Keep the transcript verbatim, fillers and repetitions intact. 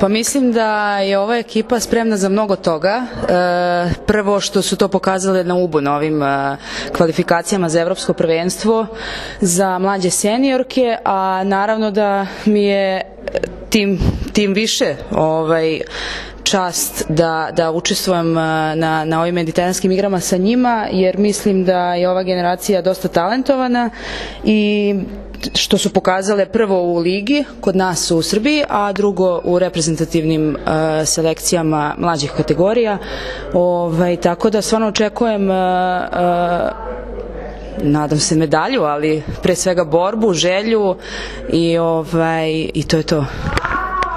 Pa mislim da je ova ekipa spremna za mnogo toga. Prvo što su to pokazale na Ubu na ovim kvalifikacijama za evropsko prvenstvo za mlađe seniorke, a naravno da mi je tim, tim više ovaj, čast da, da učestvujem na, na ovim mediteranskim igrama sa njima, jer mislim da je ova generacija dosta talentovana i što su pokazale prvo u ligi kod nas u Srbiji, a drugo u reprezentativnim uh, selekcijama mlađih kategorija. Ovaj, tako da stvarno očekujem uh, uh, nadam se medalju, ali pre svega borbu, želju i, ovaj, i to je to.